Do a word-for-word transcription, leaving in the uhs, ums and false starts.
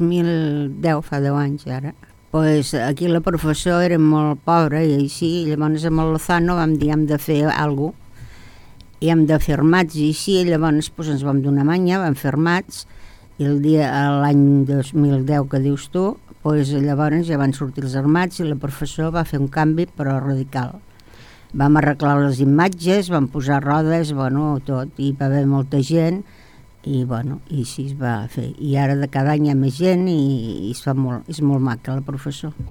mil deu, fa deu anys ara, pues aquí la professora era molt pobra i així, i llavors amb el Lozano vam dir hem de fer alguna cosa i hem de fer armats i així, i llavors pues, ens vam donar manya, vam fer armats i el dia, l'any dos mil deu que dius tu, pues, llavors ja van sortir els armats i la professora va fer un canvi però radical. Vam arreglar les imatges, vam posar rodes, bueno, tot, i va haver molta gent i bueno, i així es va fer. I ara de cada any hi ha més gent i, i es fa molt, és molt maca la professora.